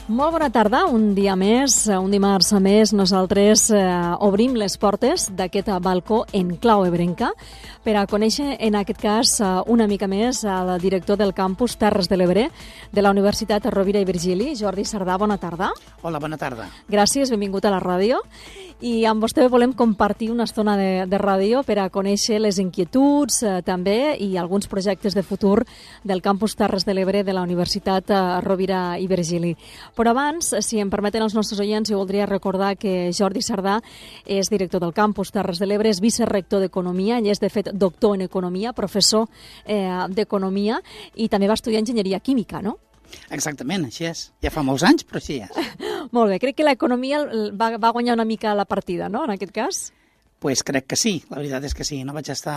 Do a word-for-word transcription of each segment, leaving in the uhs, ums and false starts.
Molt bona tarda, un dia més, un dimarts més, nosaltres eh, obrim les portes d'aquest balcó en clau ebrenca per a conèixer, en aquest cas, una mica més el director del campus Terres de l'Ebre de la Universitat Rovira i Virgili, Jordi Sardà. Bona tarda. Hola, bona tarda. Gràcies, benvingut a la ràdio. I amb vostè volem compartir una estona de, de ràdio per a conèixer les inquietuds eh, també i alguns projectes de futur del campus Terres de l'Ebre de la Universitat eh, Rovira i Virgili. Però abans, si em permeten els nostres oients, jo voldria recordar que Jordi Sardà és director del campus Terres de l'Ebre, és vicerector d'Economia, ell és de fet doctor en Economia, professor eh, d'Economia i també va estudiar Enginyeria Química, no? Exactament, així és. Ja fa molts anys, però així és. Molt bé, crec que l'economia va, va guanyar una mica la partida, no?, en aquest cas? Pues crec que sí, la veritat és que sí. No vaig estar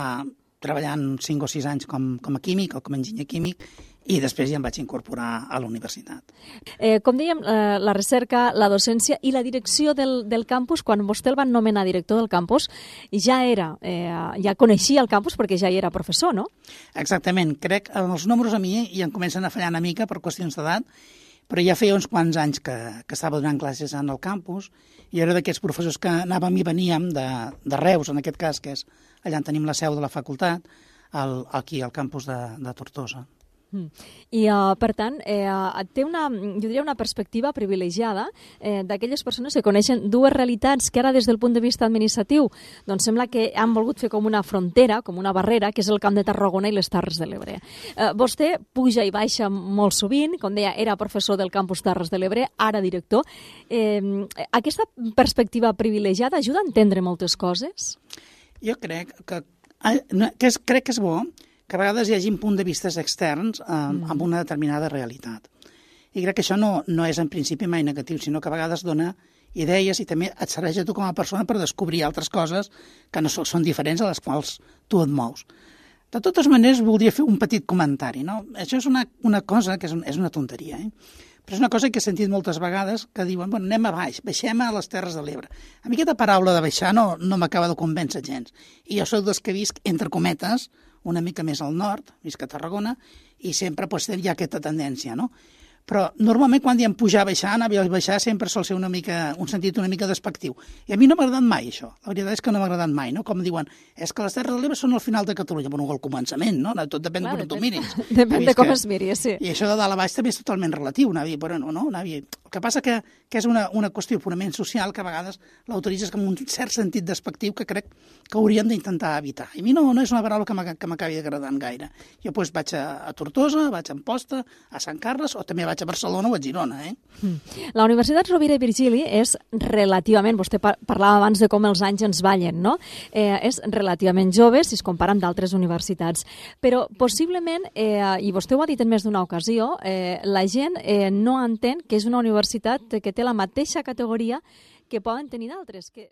treballant cinc o sis anys com, com a químic o com a enginyer químic i després ja em vaig incorporar a la universitat. Eh, com dèiem, eh, la recerca, la docència i la direcció del, del campus, quan vostè el van nomenar director del campus, ja era, eh, ja coneixia el campus perquè ja hi era professor, no? Exactament. Crec que els números a mi ja em comencen a fallar una mica per qüestions d'edat, però ja feia uns quants anys que, que estava donant classes en el campus i era d'aquests professors que anàvem i veníem de, de Reus, en aquest cas, que és allà on tenim la seu de la facultat, al, aquí al campus de, de Tortosa. Mm. I, uh, per tant, eh, té una, jo diria una perspectiva privilegiada eh, d'aquelles persones que coneixen dues realitats que ara des del punt de vista administratiu doncs sembla que han volgut fer com una frontera, com una barrera, que és el Camp de Tarragona i les Terres de l'Ebre. Eh, vostè puja i baixa molt sovint, com deia, era professor del campus Terres de l'Ebre, ara director. Eh, aquesta perspectiva privilegiada ajuda a entendre moltes coses? Jo crec que, que, és, crec que és bo que a vegades hi hagi un punt de vistes externs eh, mm. amb una determinada realitat. I crec que això no, no és en principi mai negatiu, sinó que a vegades dona idees i també et serveix a tu com a persona per descobrir altres coses que no són diferents a les quals tu et mous. De totes maneres, voldria fer un petit comentari, no? Això és una, una cosa que és, un, és una tonteria, eh? Però és una cosa que he sentit moltes vegades que diuen, bueno, anem a baix, baixem a les Terres de l'Ebre. A mi aquesta paraula de baixar no, no m'acaba de convèncer gens. I jo soc dels que visc, entre cometes, una mica més al nord, visc a Tarragona, i sempre pues, hi ha aquesta tendència, no? Però normalment quan diem pujar, baixar, anar a baixar sempre sol ser una mica, un sentit una mica despectiu. I a mi no m'ha agradat mai això. La veritat és que no m'ha agradat mai, no? Com diuen, és que les Terres de l'Ebre són al final de Catalunya. Bueno, al començament, no? Tot depèn Clar, de com tu miris. Depèn de com es miri, sí. I això de dalt a baix també és totalment relatiu, Navi, però no, no, Navi. El que passa que, que és una, una qüestió purament social que a vegades l'autoritzes com un cert sentit despectiu que crec que hauríem d'intentar evitar. I a mi no, no és una paraula que m'acabi agradant gaire. Jo doncs, vaig a, a Tortosa, vaig a Amposta, a Sant Carles, o també vaig a Barcelona o a Girona. Eh? La Universitat Rovira i Virgili és relativament, vostè parlava abans de com els anys ens ballen, no? Eh, és relativament jove si es compara amb d'altres universitats. Però possiblement, eh, i vostè ho ha dit en més d'una ocasió, eh, la gent eh, no entén que és una universitat que té la mateixa categoria que poden tenir d'altres, que